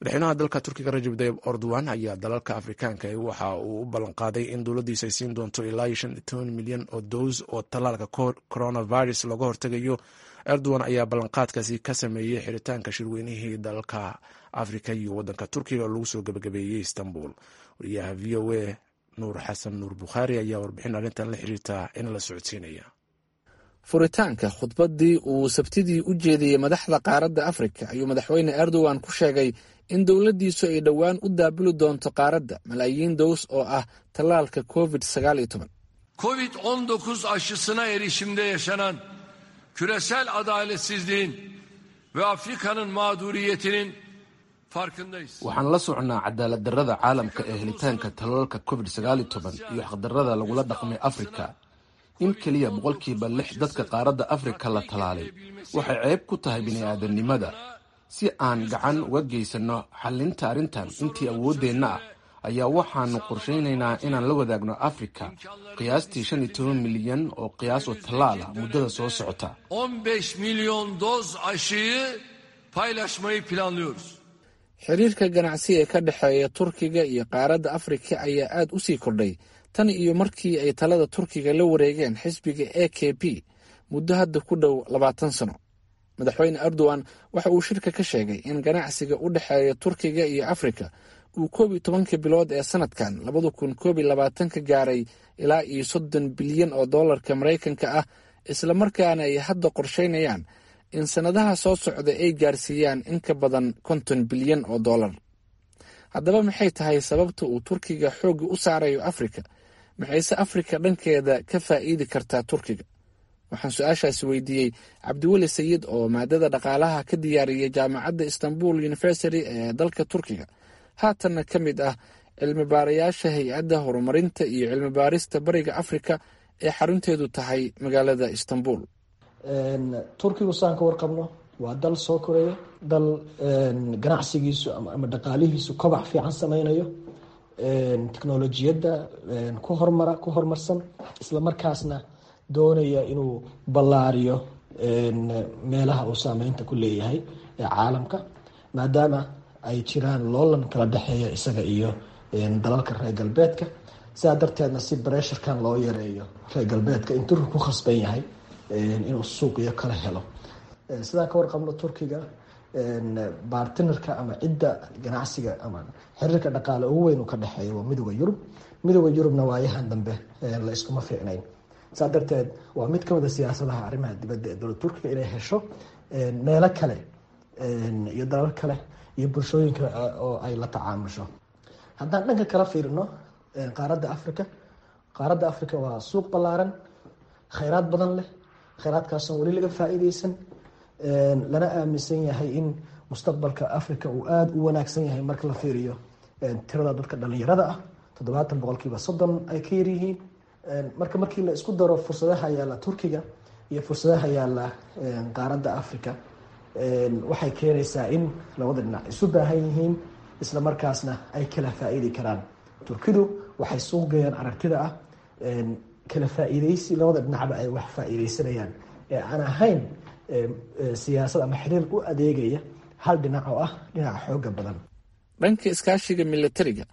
Madaxweynaha dalka Turkiga Rajab Dayib Erdogan ayaa dalalka Afrikaanka waxa uu u ballanqaaday in dowladdiisa ay siin doonto ilaa iyo 15 milyan oo dows oo tallaalka coronavirus looga hortegayo. Erdogan ayaa ballanqaadkaasi ka sameeyey xiritaanka shirweynihii dalalka Afrika iyo wadanka Turkiga oo lagu soo gabagabeeyey Istanbul. Wariyaha VOA Nuur Xasan Nuur Bukhaari ayaa warbixin arrintan la xiriirta in la socodsiinaya. Furitaanka khudbaddii uu Sabtidii u jeediyey madaxda qaaradda Afrika ayuu Madaxweyne Erdogan ku sheegay in dowladdiisu ay dhowaan u daabuli doonto qaaradda malaayiin dows oo ah tallaalka COVID-19. Covid-19 aşısına erişimde yaşanan küresel adaletsizliğin ve Afrika'nın mağduriyetinin farkındayız. Waxaan la socnaa cadaalad darrada caalamka ee helitaanka tallaalka COVID-19 iyo xaqdarrada lagula dhaqmay Afrika. In keliya 6% dadka qaaradda Afrika la tallaalay waxay ceeb ku tahay bini'aadamnimada. Si aan gacan uga geysanno xallinta arrintan intii awooddeenna ah ayaa waxaanu qorshaynaynaa inaan la wadaagno Afrika qiyaastii 15 milyan oo qiyaas oo tallaal ah muddada soo socota. 15 milyon doz aşıyı paylaşmayı planlıyoruz. Xiriirka ganacsi ee ka dhexeeya Turkiga iyo qaaradda Afrika ayaa aad u sii kordhay tan iyo markii ay talada Turkiga la wareegeen xisbiga AKP muddo hadda ku dhow 20 sano. Madaxweyne Erdogan waxa uu shirka ka sheegay in ganacsiga u dhexeeya Turkiga iyo Afrika uu 11-kii bilood ee sanadkan 2021-ka gaaray ilaa iyo 30 bilyan oo doolarka Maraykanka ah, islamarkaana ay hadda qorsheynayaan in sannadaha soo socda ay gaarsiiyaan in ka badan 50 bilyan oo doolar. Haddaba, maxay tahay sababta uu Turkiga xoogga u saarayo Afrika? Maxayse Afrika dhankeeda ka faa'iidi kartaa Turkiga? Waxaan su-aashaasi weydiiyey Cabdiweli Sayid oo maadada dhaqaalaha ka diyaariyey jaamacadda Istanbul University ee dalka Turkiga, haatanna ka mid ah cilmi baarayaasha Hay-adda Horumarinta iyo Cilmi Baarista Bariga Afrika ee xarunteedu tahay magaalada Istanbul. Turkigu, saan ka warqabno, waa dal soo koraya, dal ganacsigiisu ama dhaqaalihiisu kobac fiican sameynayo, teknolojiyadda ku hormara, ku horumarsan, isla markaasna doonaya inuu ballaariyo meelaha uu saameynta ku leeyahay ee caalamka, maadaama ay jiraan loolan kala dhexeeya isaga iyo dalalka reer galbeedka. Sidaa darteedna, si pressure-kan loo yareeyo reer galbeedka, in Turkiga ku khasban yahay inuu suuqyo kala helo. Sidaan ka warqabno, Turkiga partner-ka ama cidda ganacsiga ama xiriirka dhaqaale ugu weyn uu ka dhexeeya waa Midooda Yurub. Midooda Yurubna waayahan dambe la iskuma fiicnayn. Saa darteed, waa mid kamid a siyaasadaha arrimaha dibadda ee dowladda Turkiga inay hesho meelo kale iyo dalal kale iyo bulshooyin kale oo ay la tacaamusho. Haddaan dhanka kala fiirino qaaradda Africa, qaaradda Africa waa suuq ballaaran, kheyraad badan leh, kheyraadkaasoo weli laga faa-iideysan, lana aaminsan yahay in mustaqbalka Africa uu aada u wanaagsan yahay marka la fiiriyo tirada dadka dhalinyarada ah, 70% 30 ay ka yaryihiin. Marka markii la isku daro fursadaha yaalla Turkiga iyo fursadaha yaalla qaaradda Africa, waxay keenaysaa in labada dhinac isu baahan yihiin, isla markaasna ay kala faa-iidi karaan. Turkidu waxay suuq geeyaan aragtida ah kala faa-iideysi labada dhinacba ay wax faa-iideysanayaan, ee aan ahayn siyaasad ama xiriir u adeegaya hal dhinac oo ah dhinaca xooga badan. Dhanka iskaashiga milatariga,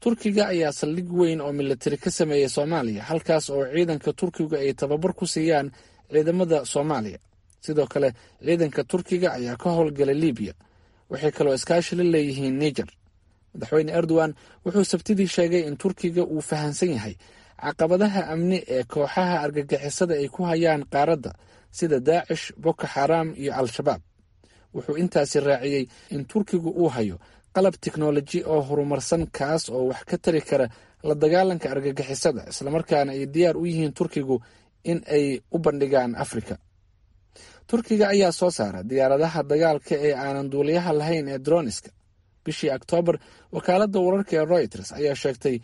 Turkiga ayaa saldhig weyn oo milatari ka sameeyey Soomaaliya, halkaas oo ciidanka Turkigu ay tababar ku siiyaan ciidamada Soomaaliya. Sidoo kale, ciidanka Turkiga ayaa ka howlgala Libiya. Waxay kaloo iskaashi la leeyihiin Niger. Madaxweyne Erdogan wuxuu Sabtidii sheegay in Turkiga uu fahansan yahay caqabadaha amni ee kooxaha argagixisada ay ku hayaan qaaradda, sida Daacish, Boko Xaram iyo Al-Shabaab. Wuxuu intaasi raaciyey in Turkigu uu hayo qalab tiknoloji oo horumarsan, kaas oo wax ka tari kara la dagaalanka argagixisada, islamarkaana ay diyaar u yihiin Turkigu in ay u bandhigaan Afrika. Turkiga ayaa soo saara diyaaradaha dagaalka ee aanan duuliyaha lahayn ee drones-ka. Bishii Oktoobar, wakaaladda wararka ee Reuters ayaa sheegtay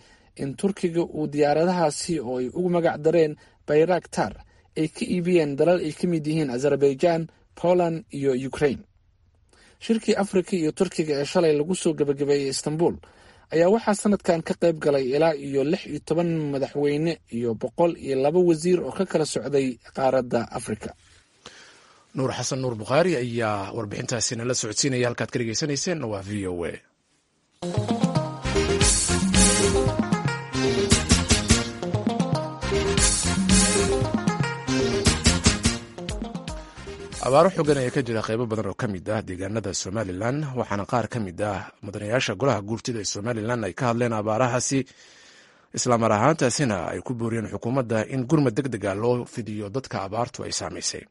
in Turkiga uu diyaaradahaasi, oo ay ugu magac dareen Bayraktar, ay ka iibiyeen dalal ay ka mid yihiin Azerbaijan, Poland iyo Ukraine. Shirkii Afrika iyo Turkiga ee shalay lagu soo gebagabeeyey Istanbul ayaa waxaa sanadkan ka qayb galay ilaa iyo 16 madaxweyne iyo 102 wasiir oo ka kala socday qaaradda Afrika. Nuur Xasan Nuur Bukhaari ayaa warbixintaasi nala socodsiinaya. Halkaad ka dhegeysanayseen waa v o a. Abaaro xogan ayaa ka jira qeybo badan oo ka mid ah deegaanada Somalilan, waxaana qaar ka mid ah mudanayaasha golaha guurtida ee Somalilan ay ka hadleen abaarahaasi, islaamar ahaantaasina ay ku booriyeen xukuumadda in gurmad deg dega loo fidiyo dadka abaartu ay saamaysay.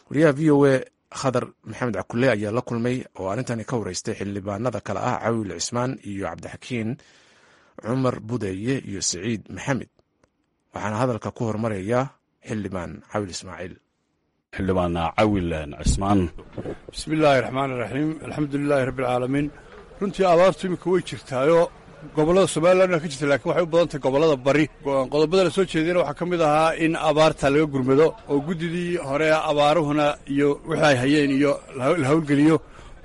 Wariyaha v o a Khadar Maxamed Cakule ayaa la kulmay oo arrintani ka wareystay xildhibaanada kale ah Cawil Cismaan iyo Cabdixakiin Cumar Budeeye iyo Siciid Maxamed, waxaana hadalka ku hormaraya xildhibaan Cawil Ismaaciil. Xildhibaan Cawil Cismaan. Bismi illaahi raxmaan iraxiim, alxamdu lilaahi rabbi alcaalamiin. Runtii abaartu iminka way jirtaayo gobollada Somalilan ka jirta, lakiin waxay u badan tahay gobollada bari. Qodobada la soo jeediyana waxaa ka mid ahaa in abaarta laga gurmado oo guddidii hore abaaruhuna iyo wixii ay hayeen iyo la howlgeliyo,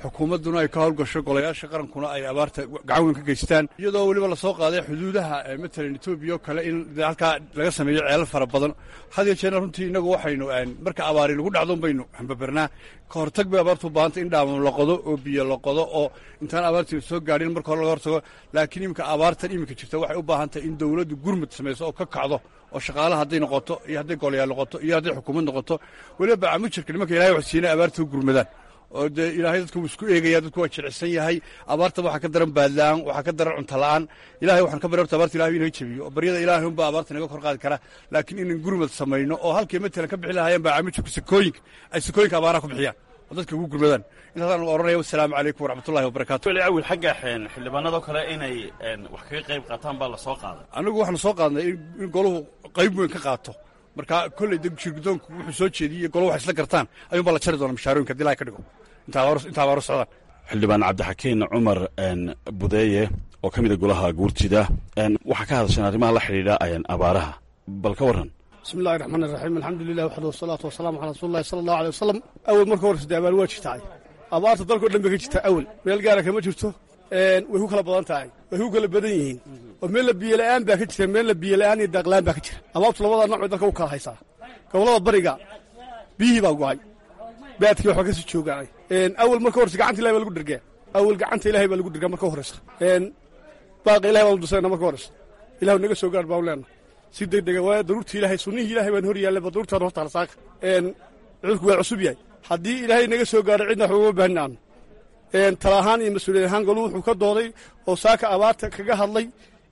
xukuumadduna ay ka howlgasho, golayaasha qarankuna ay abaarta gacan weyn ka geystaan, iyadoo weliba lasoo qaaday xuduudaha matalan Etoobiya oo kale in halkaa laga sameeyo ceelal fara badan. Had iyo jeerna runtii innagu waxaynu marka abaari lagu dhacdo baynu hambabernaa. Ka hortag bay abaartu u baahantay, in dhaamam la qodo oo biyo la qodo oo intaan abaartii soo gaadhin marka hore laga hortago. Laakiin iminka abaartan iminka jirta waxay u baahan tahay in dowladdu gurmud samayso oo ka kacdo, oo shaqaalaha hadday noqoto iyo hadday golayaal noqoto iyo hadday xukuumad noqoto, weliba bacamujarka nimanka Ilahay wax siina abaarta u gurmadaan. Oo dee Ilaahay dadku wuu isku eegaya, dadku waa jilicsan yahay. Abaarta waxaa ka daran baadla'aan, waxaa ka daran cunto la'aan. Ilahay waxaan ka barya horta abaarta Ilahay inaga jebiyo, oo baryada Ilaahay unbaa abaarta naga kor qaadi kara. Laakiin inan gurmad samayno oo halkay matalan ka bixi lahaayeen bacamujarku sakooyinka ay sakooyinka abaaraha ku bixiyaan oo dadka ugu gurmadaan. Intaasaan oranaya, wassalaamu calaykum waraxmatullahi wabarakatu. Cawil, xagga xildhibaanadoo kale inay wax kaga qayb qaataan baa la soo qaaday. Anigu waxaanu soo qaadnay in goluhu qayb weyn ka qaato. Marka kolley de shirgudoonku wuxuu soo jeediyey goluhu wax isla gartaan ayuun baa la jari doona mishaarooyinka hadii Ilahay ka dhigo inta abaaru socdaan. Xildhibaan Cabdixakiin Cumar Budeeye oo ka mid a golaha guurtida, waxaa ka hadasheen arrimaha la xidhiidha abaaraha, bal ka warran. Bismi illahi raxmaan iraxiim, alxamdulilah waxda wasalaatu wasalaamu calaa rasuuli llahi sala allahu alay wasalam. Awal marka horeysa dee abaar waa jirtaay, abaarta dalkao dhan bay ka jirtaa, awal meel gaara kama jirto. Way ku kala badan tahay, way ku kala badan yihiin, oo meella biyola'aan baa ka jira, meella biyola'aan iyo daaqla'aan baa ka jira. Abaartu labada nooc bay dalka u kala haysaa. Gobollada bariga biyihii baa go'ay, baadkii waxba ka sii joogaanay. Awal marka horeysa gacanta Ilahay baa lagu dhergaa, awal gacanta Ilahay baa lagu dhergaa marka horeysa. Baaqa Ilahay baan dusayna marka horeysa, Ilahu naga soo gaar baanu leenahay si deg dega, waayo daruurtii Ilahay, sunnihii Ilahay baan hor yaallay, ba daruurtaan horta saaka. Cudurku waa cusub yahay, haddii Ilaahay naga soo gaaro cidna wax ugama baahnin aanu. Tala ahaan iyo mas-uuliyad ahaan golu wuxuu ka dooday oo saaka abaarta kaga hadlay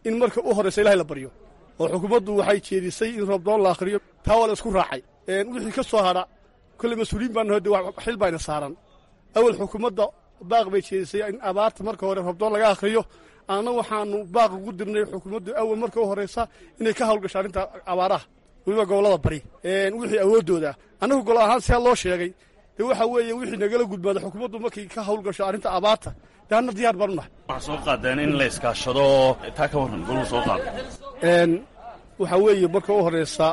in marka u horraysa Ilahay la baryo, oo xukuumaddu waxay jeedisay in roobdoon la akhriyo, taa waa la isku raacay. Wixii ka soo hadha kolley mas-uuliyiin baan naho, de xil bayna saaran. Awal xukuumadda baaq bay jeedisay in abaarta marka hore roobdoon laga akhriyo. Anna waxaanu baaq ugu dirnay xukuumaddu awal marka u horraysa inay ka hawlgasho arrinta abaaraha, weliba gobollada bari, wixii awooddooda. Annagu golo ahaan sidaa loo sheegay de waxa weeye wixii nagala gudbaada xukuumaddu markay ka hawlgasho arrinta abaarta, dee anna diyaar baan u nahay. Waxaa soo qaadeen in la iskaashado, taa ka warran goluhu soo qaada. Waxaa weeye marka u horraysa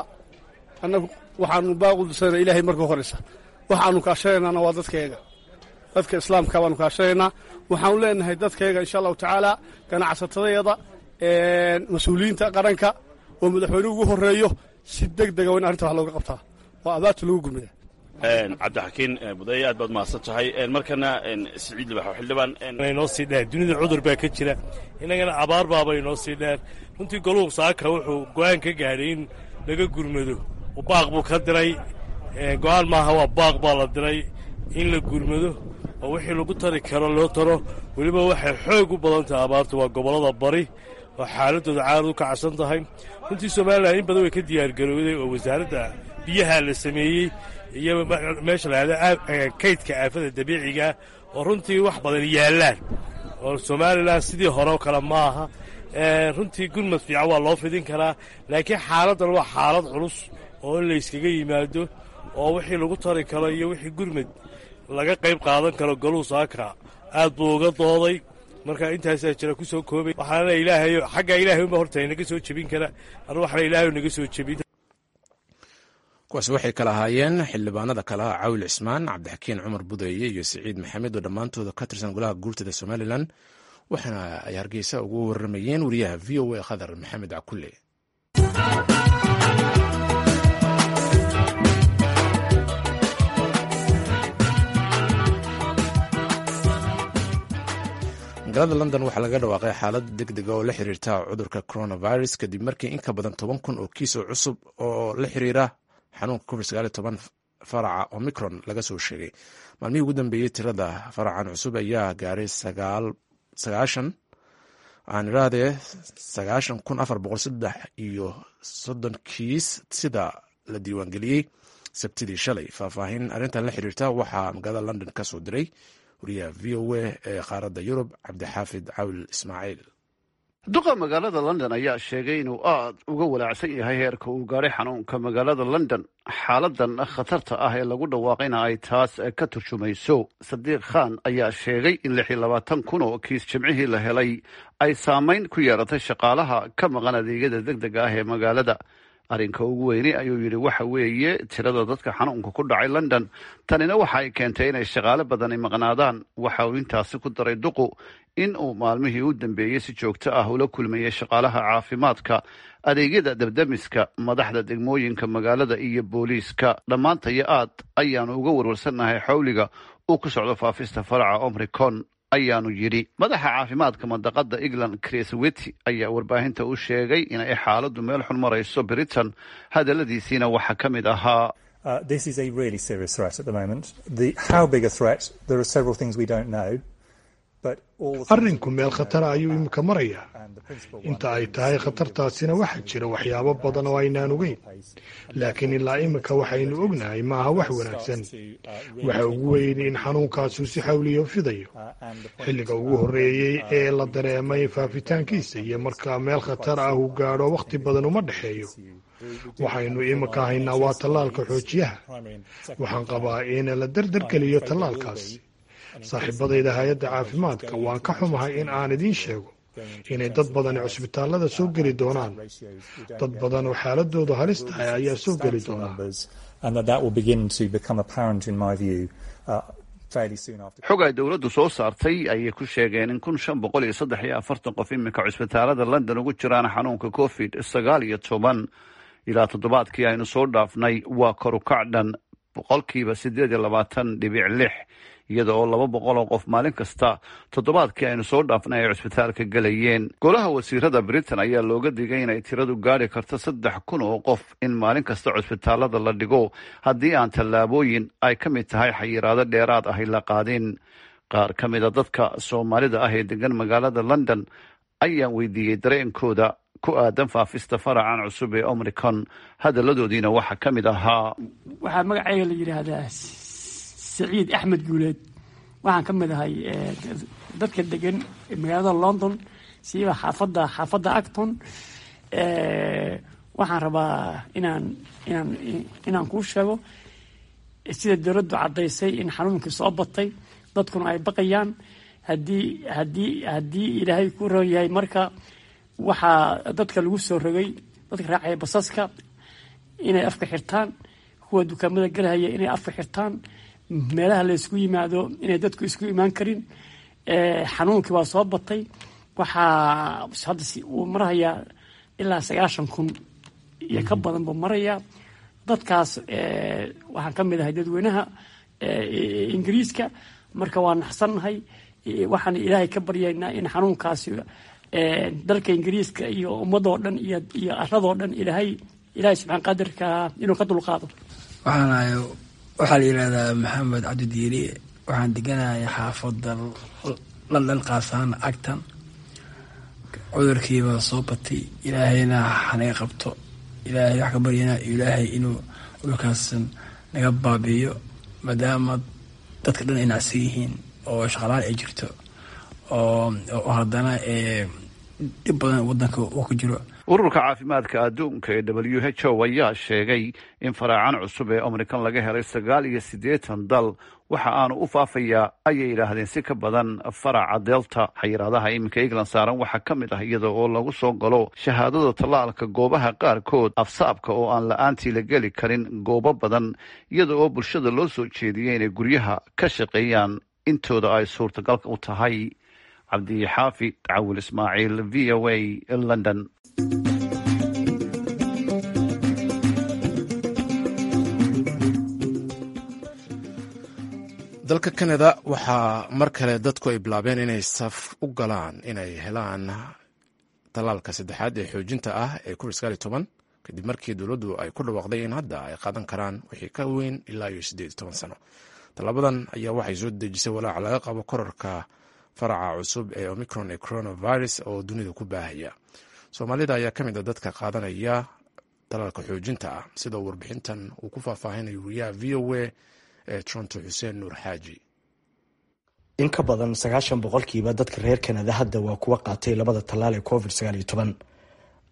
annagu waxaanu baaq u dirsanayna Ilaahay marka u horraysa, waxaanu kaashanaynaana waa dadkayaga, dadka islaamka baanu kaashanaynaa. Waxaanu leenahay dadkayaga insha allahu tacaala, ganacsatadayada, mas-uuliyiinta qaranka oo madaxweynuhu ugu horreeyo, si deg dega waa in arrinta wax looga qabtaa oo abaarta lagu gurmada. Cabdixakiin Budeeye, aad baad mahadsan tahay. Markana Siciid Libax, xildhibaan. Inoo sii dheer dunida cudur baa ka jira, innagana abaar baaba inoo sii dheer. Runtii goluhu saaka wuxuu go'aan ka gaadhay in laga gurmado, baaq buu ka diray. Go'aan maaha, waa baaq baa la diray in la gurmado oo wixii lagu tari karo loo taro. Weliba waxay xoog u badan tahay abaartu waa gobollada bari oo xaaladooda caarad u kacsan tahay. Runtii Somalilan in badan way ka diyaargarowday oo wasaaradda biyaha la sameeyey iyo meesha la yahdo kaydka aafada dabiiciga oo runtii wax badan yaallaan, oo Somalilan sidii hore oo kale ma aha. Runtii gurmad fiican waa loo fidin karaa, laakiin xaaladdan waa xaalad culus oo in layskaga yimaado oo wixii lagu tari karo iyo wixii gurmad laga qayb qaadan karo goluhu saaka aad buu uga dooday. Marka intaasaa jira ku soo koobay. Waxaana Ilaahay xagga Ilaahay unba horta inaga soo jebin kara, anu waxna Ilaahay naga soo jebin. Kuwaasi waxay kala ahaayeen xildhibaanada kale ah Cawil Cismaan, Cabdixakiin Cumar Budeeye iyo Siciid Maxamed oo dhammaantooda ka tirsan golaha guurtada Somalilan, waxaana ay Hargeysa ugu warramayeen wariyaha v o a Khadar Maxamed Cakulle. Magaalada London waxaa laga dhawaaqay xaalad deg dega oo la xiriirta cudurka coronavirus kadib markii in ka badan 10,000 oo kiis oo cusub oo la xiriira xanuunka COVID 19 faraca Omicron laga soo sheegay. Maalmihii ugu dambeeyey tirada faracan cusub ayaa gaaray sagaashan aan irahdee 90,433 kiis sida la diiwaangeliyey Sabtidii shalay. Faahfaahin arrintan la xiriirta waxaa magaalada London ka soo diray wariyaha VOA ee qaaradda Yurub, Cabdixaafid Cawil Ismaaciil. Duqa magaalada London ayaa sheegay inuu aad uga walaacsan yahay heerka uu gaadhay xanuunka magaalada London, xaaladan khatarta ah ee lagu dhawaaqayna ay taas ka turjumayso. Sadiiq Khan ayaa sheegay in 26,000 oo kiis Jimcihii la helay ay saamayn ku yeelatay shaqaalaha ka maqan adeegyada deg dega ah ee magaalada. Arrinka ugu weyni, ayuu yidhi, waxa weeye tirada dadka xanuunka ku dhacay London. Tanina waxa ay keentay inay shaqaale badani maqnaadaan. Waxa uu intaasi ku daray duqu in uu maalmihii u dambeeyey si joogto ah ula kulmayay shaqaalaha caafimaadka, adeegyada dabdamiska, madaxda degmooyinka magaalada iyo booliiska. Dhammaantayo aad ayaanu uga warwarsannahay xawliga uu ku socdo faafista faraca Omicron, ayaanu yidhi. Madaxa caafimaadka mandaqada England, Chris Whitty, ayaa warbaahinta u sheegay inay xaaladdu meel xun marayso Britain. Hadaladiisiina waxaa ka mid ahaa: This is a really serious threat at the moment. How big a threat? There are several things we don't know. Arrinku meel khatara ayuu imika marayaa. Inta ay tahay khatartaasina, waxaa jira waxyaabo badan oo aynaan ogeyn, laakiin ilaa imika waxaynu ognahay ma aha wax wanaagsan. Waxa ugu weyn in xanuunkaasu si xawliyo fidayo. Xilliga ugu horreeyey ee la dareemay faafitaankiisa iyo marka meel khatar ah uu gaadho, wakhti badan uma dhexeeyo. Waxaynu imika haynaa waa tallaalka xoojiyaha. Waxaan qabaa in la dardargeliyo tallaalkaas. Saaxiibadayda hay-adda caafimaadka, waan ka xumahay in aan idiin sheego inay dad badani cusbitaallada soo geli doonaan. Dad badan oo xaaladoodu halis tahay ayaa soo geli doonaa. Xog ay dowladdu soo saartay ayay ku sheegeen in 1543 qof iminka cusbitaalada London ugu jiraan xanuunka COVID-19 ilaa toddobaadkii aynu soo dhaafnay. Waa korukac dhan 28.6%, iyada oo 200 oo qof maalin kasta toddobaadkii aynu soo dhaafnay ay cusbitaalka gelayeen. Golaha wasiirada Britain ayaa looga digay inay tiradu gaadhi karto 3000 oo qof in maalin kasta cusbitaalada la dhigo haddii aan tallaabooyin ay ka mid tahay xayiraado dheeraad ahi la qaadin. Qaar ka mida dadka Soomaalida ah ee degan magaalada London ayaan weydiiyey dareenkooda ku aadan faafista faracan cusub ee Omicron. Hadaladoodiina waxaa ka mid ahaa: Waxaa magacayga la yidhaahdaa Saciid Axmed Guuleed. Waxaan ka mid ahay dadka degan magaalada London, siiba xaafadda Acton. Waxaan rabaa inaan kuu sheego sida dowladdu caddaysay in xanuunkii soo batay, dadkuna ay baqayaan. Haddii Ilaahay ku ron yahay, marka waxaa dadka lagu soo rogay, dadka raacaya basaska inay afka xirtaan, kuwa dukaamada galhaya inay afka xirtaan, meelaha la isku yimaado inay dadku isku imaan karin. Xanuunkii waa soo batay. Waxaa hadda uu marahayaa ilaa 90,000 iyo ka badan buu marayaa. Dadkaas waxaan ka mid ahay dadweynaha Ingiriiska. Marka waa naxsannahay. Waxaan Ilaahay ka baryaynaa in xanuunkaasi dalka Ingiriiska iyo ummadoo dhan iyo aradoo dhan Ilaahay subxaan qadirka inuu ka dulqaado. Waxaanahay, waxaa la yidhahdaa Maxamed Cabdi Diiri. Waxaan deganahay xaafadda London, qaasaan Acton. Cudurkiibaa soo batay. Ilaahayna hanaga qabto. Ilaahay wax ka baryana, Ilaahay inuu cudurkaas naga baabiiyo, maadaama dadka dhan ay nacsan yihiin oo shaqalaan ay jirto oo haddana dhib badan wadanka uu ku jiro. Ururka caafimaadka adduunka ee WHO ayaa sheegay in faraacan cusub ee Omicron laga helay 89 dal. Waxa aanu u faafayaa, ayay yidhaahdeen, si ka badan faraca Delta. Xayiraadaha iminka England saaran waxaa ka mid ah iyada oo lagu soo galo shahaadada tallaalka goobaha qaarkood, afsaabka oo aan la-aantii la geli karin goobo badan, iyada oo bulshada loo soo jeediyey inay guryaha ka shaqeeyaan intooda ay suurtagalka u tahay. Cabdixaafid Cawil Ismaaciil, VOA, London. Dalka Canada waxaa mar kale dadku ay bilaabeen inay saf u galaan inay helaan tallaalka saddexaad ee xoojinta ah ee Covid 19, kadib markii dowladdu ay ku dhawaaqday in hadda ay qaadan karaan wixii ka weyn ilaa iyo 18 sano. Tallaabadan ayaa waxay soo dejisay walaaca laga qabo korarka faraca cusub ee Omicron ee coronavirus oo dunida ku baahaya. Soomaalida ayaa ka mid a dadka qaadanaya tallaalka xoojinta ah, sida warbixintan uu ku faahfaahinayo wariyaha VOA ee Toronto, Xuseen Nuur Xaaji. In ka badan 90% dadka reer Kanada hadda waa kuwa qaatay labada tallaal ee Covid 19.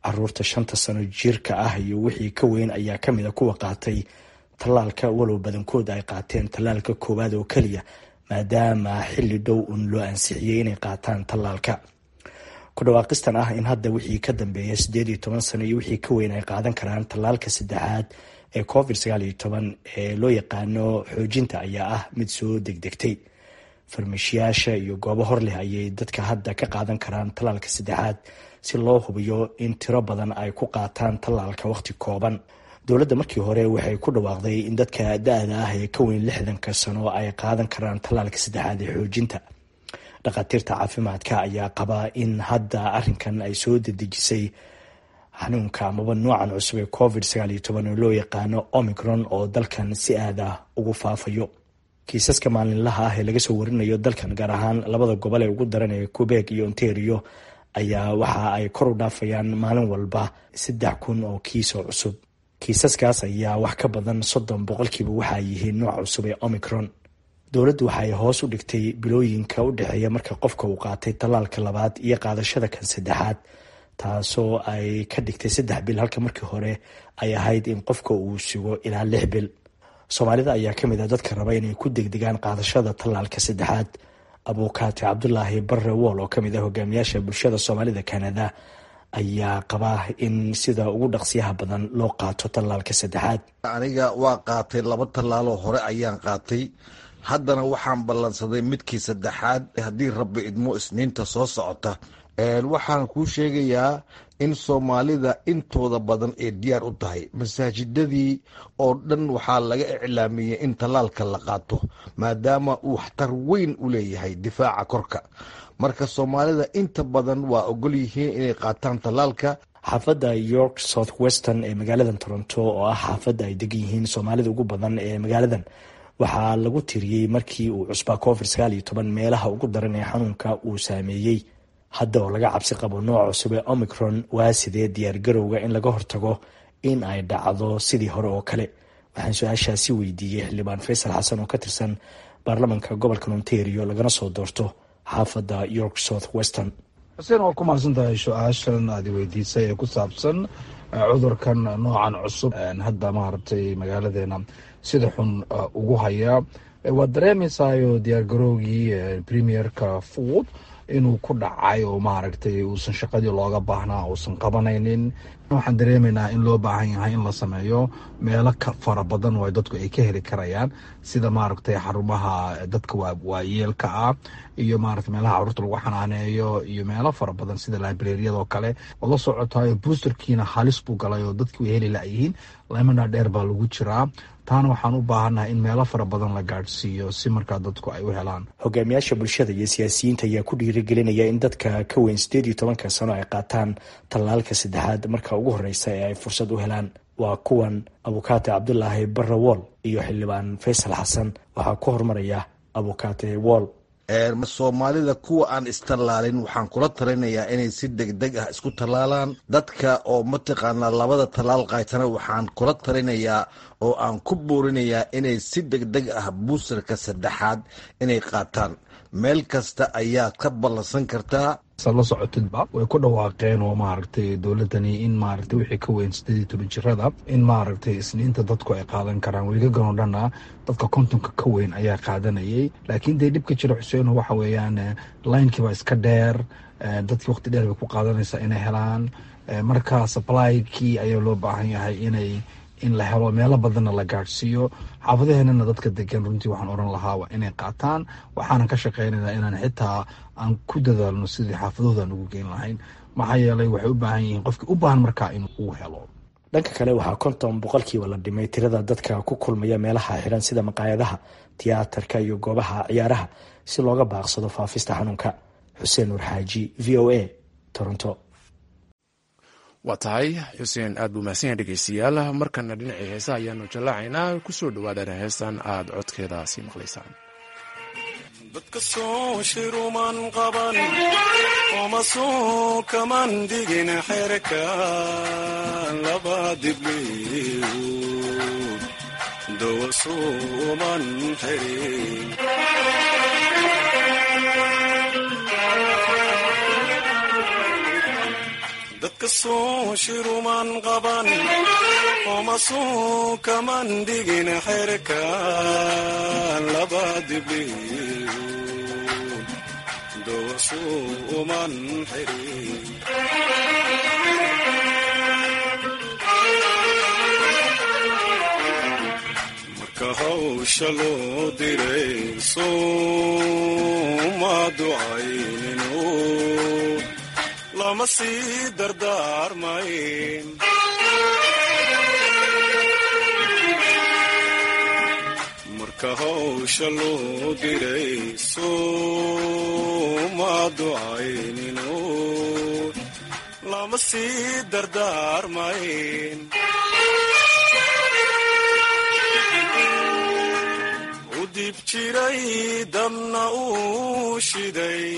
Caruurta 5-ta sano jirka ah iyo wixii ka weyn ayaa kamid a kuwa qaatay tallaalka, walow badankood ay qaateen tallaalka koowaad oo keliya, maadaama xilli dhow un loo ansixiyey inay qaataan tallaalka. Ku dhawaaqistan ah in hadda wixii ka dambeeya 18 sano iyo wixii ka weyn ay qaadan karaan tallaalka saddexaad ee Covid 19 ee loo yaqaano xoojinta ayaa ah mid soo degdegtay. Farmashiyaasha iyo goobo hor leh ayay dadka hadda ka qaadan karaan tallaalka saddexaad, si loo hubiyo in tiro badan ay ku qaataan tallaalka waqti kooban. Dowladda markii hore waxay ku dhawaaqday in dadka da-da ah ee ka weyn 60-ka sano ay qaadan karaan tallaalka saddexaad ee xoojinta. Dhakhaatiirta caafimaadka ayaa qabaa in hadda arrinkan ay soo dedejisay xanuunka amaba noocan cusub ee Covid 19 oo loo yaqaano Omicron oo dalkan si aada ugu faafayo. Kiisaska maalinlaha ah ee laga soo warinayo dalkan, gaar ahaan labada gobol ee ugu daran ee Quebec iyo Ontario, ayaa waxa ay kor u dhaafayaan maalin walba 3000 oo kiis oo cusub. Kiisaskaas ayaa wax ka badan 30% waxaa yihiin nooca cusub ee Omicron. Dowladdu waxay hoos u dhigtay bilooyinka u dhexeeya marka qofka uu qaatay tallaalka labaad iyo qaadashada kan saddexaad, taasoo ay ka dhigtay 3 bil, halka markii hore ay ahayd in qofka uu sugo ilaa 6 bil. Soomaalida ayaa kamid ah dadka raba inay ku degdegaan qaadashada tallaalka saddexaad. Abuukaati Cabdulaahi Barre Wool oo kamid ah hogaamiyaasha bulshada Soomaalida Kanada ayaa qabaa in sida ugu dhaqsiyaha badan loo qaato tallaalka saddexaad. Aniga waa qaatay, laba tallaaloo hore ayaan qaatay, haddana waxaan ballansaday midkii saddexaad, haddii Rabbi idmo, Isniinta soo socota. Waxaan kuu sheegayaa in Soomaalida intooda badan ay diyaar u tahay. Masaajidadii oo dhan waxaa laga iclaamiyey in tallaalka la qaato, maadaama uu waxtar weyn u leeyahay difaaca korka. Marka Soomaalida inta badan waa ogol yihiin inay qaataan tallaalka. Xaafadda York South Weston ee magaalada Toronto, oo ah xaafadda ay degan yihiin Soomaalida ugu badan ee magaaladan, waxaa lagu tiriyey markii uu cusbaa Covid 19 meelaha ugu daran ee xanuunka uu saameeyey. Hadda oo laga cabsi qabo nooc cusub ee Omicron, waa sidee diyaargarowga in laga hortago in ay dhacdo sidii hore oo kale? Waxaan su-aashaasi weydiiyey xildhibaan Faysal Xasan oo ka tirsan baarlamanka gobolka Ontario, lagana soo doorto xaafadda York South Weston. Xuseen, waa ku mahadsan tahay su-aashan aad weydiisay ee ku saabsan cudurkan noocan cusub hadda maaragtay magaaladeena sida xun ugu haya. Waad dareemaysaayo diyaargarowgii premierka Ford inuu ku dhacay oo maaragtay uusan shaqadii looga baahnaa uusan qabanaynin. Waxaan dareemaynaa in loo baahan yahay in la sameeyo meelo ka fara badan oo dadku ay ka heli karayaan, sida maaragtay xarumaha dadka waayeelka ah iyo maaragtay meelaha carruurta lagu xanaaneeyo iyo meelo fara badan sida librariyadoo kale. Waad la socotayo boosterkiina halis buu galay oo dadki way heli layihiin, lemana dheer baa lagu jiraa. Taana waxaan u baahannahay in meelo fara badan la gaadhsiiyo si markaa dadku ay u helaan. Hogaamiyaasha bulshada iyo siyaasiyiinta ayaa ku dhiirigelinaya in dadka ka weyn 18-ka sano ay qaataan tallaalka saddexaad marka ugu horeysa ee ay fursad u helaan. Waa kuwan abukaate Cabdulaahi Barre Wool iyo xildhibaan Faysal Xasan. Waxaa ku horumaraya abukaate Wool. Soomaalida kuwa aan istallaalin waxaan kula talinayaa inay si degdeg ah isku tallaalaan. Dadka oo mataqaanaa labada tallaal qaatana waxaan kula talinayaa oo aan ku buurinayaa inay si degdeg ah boosterka saddexaad inay qaataan. Meel kasta ayaad ka ballansan kartaa. La socotidba way ku dhawaaqeen oo maaragtay dowladani in maaragtay wixii ka weyn 18 jirada in maaragtay Isniinta dadku ay qaadan karaan. Wiigagan oo dhanna dadka 50-ka ka weyn ayaa qaadanayay, laakiin dee dhibka jira, Xuseen, waxa weeyaan linekii baa iska dheer, dadkii waqti dheer bay ku qaadanaysaa inay helaan. Marka supply-kii ayaa loo baahan yahay inay in la helo, meelo badanna la gaadhsiiyo. Xaafadaheenana dadka degan runtii waxaan oran lahaa waa inay qaataan. Waxaanan ka shaqeynaynaa inaan xitaa aan ku dadaalno sidii xaafadahooda aan ugu geyn lahayn, maxaa yeelay waxay u baahan yihiin qofkii u baahan markaa in uu helo. Dhanka kale, waxaa 50% la dhimay tirada dadka ku kulmaya meelaha xiran sida maqaayadaha, tiyaatarka iyo goobaha ciyaaraha si looga baaqsado faafista xanuunka. Xuseen Nuur Xaaji, VOA, Toronto. Waa tahay Xuseen, aad buu mahadsan yahay. Dhegeystayaal, markana dhinacii heesaha ayaanu jallaacaynaa. Kusoo dhawaadana heestan aad codkeeda sii maqlaysaan. Dadka soo shiruman qaban oma soo kaman digin xerka laba dibliw dawa suuman xirin. Dadka soo shiruman qaban oma soo kaman digin xerka laba dibliw dawa suuman xirin. Marka hawsha loo diray sooma ducaynino, lama sii dardaarmayn. Marka hawsha loo diray sooma ducaynino, lama sii dardaarmayn. U dib jiray dabna uu shiday,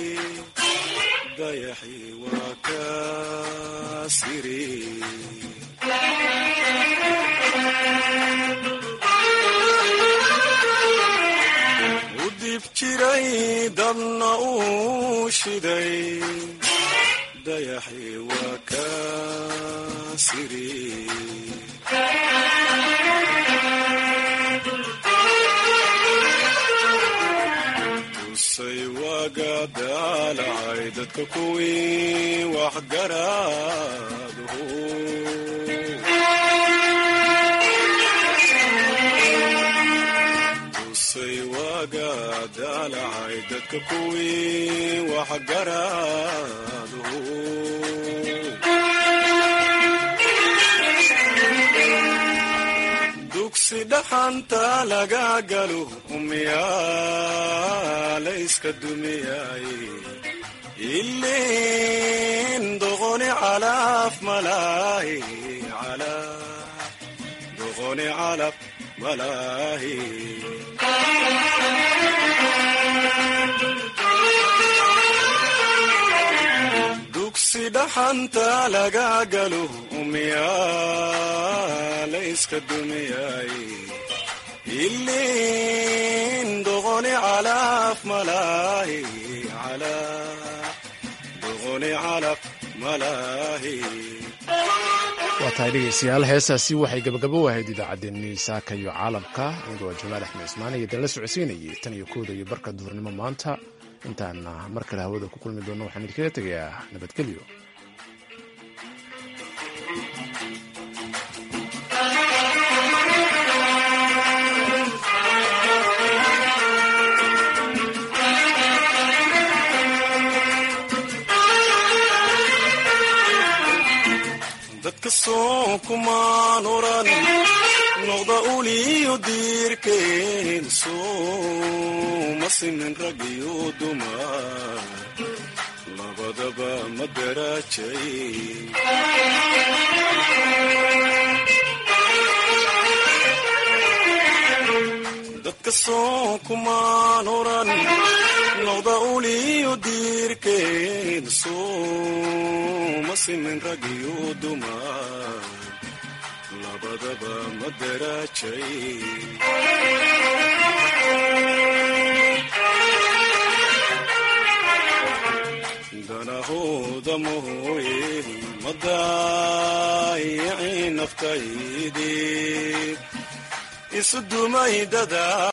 dayaxi waa ka siri. U dib jiray dabna uu shiday, dayaxi waa ka siri. Tusay waaga daalacay dadka kuwii wax garaadhu. Tusay waaga daalacay dadka kuwii wax garaadhu. Dugsi dhaxanta laga galo, miyaa layska dumiyay? Ilin doqoni calaf malaahi, doqoni calaf malaahi. Dugsi dhaxanta laga galo, miyaa layska dumiyay? Ilin doqoni calaf malaahi, doqoni calaf malaahi. Waa tahay dhegeystayaal, heestaasi waxay gabagabo ahayd idaacaddeenii saaka iyo caalamka. Anigoo Jamaal Axmed Ismaan iyo dala socodsiinayay tan iyo 1da iyo barka duhurnimo maanta. Intaana mar kale hawada ku kulmi doono, waxaan idinkaga tegayaa nabadgelyo. Dadka soo kumaan oran noqda uliyo diirkeen, sooma simin rag iyo dumar, labadaba ma daraajay. Dadka soo kumaan oran noqda uliyo diirkeen, sooma simin rag iyo dumar, labadaba ma daraajay. Danahooda mooye madaayicin naftaydii isu dumay dada.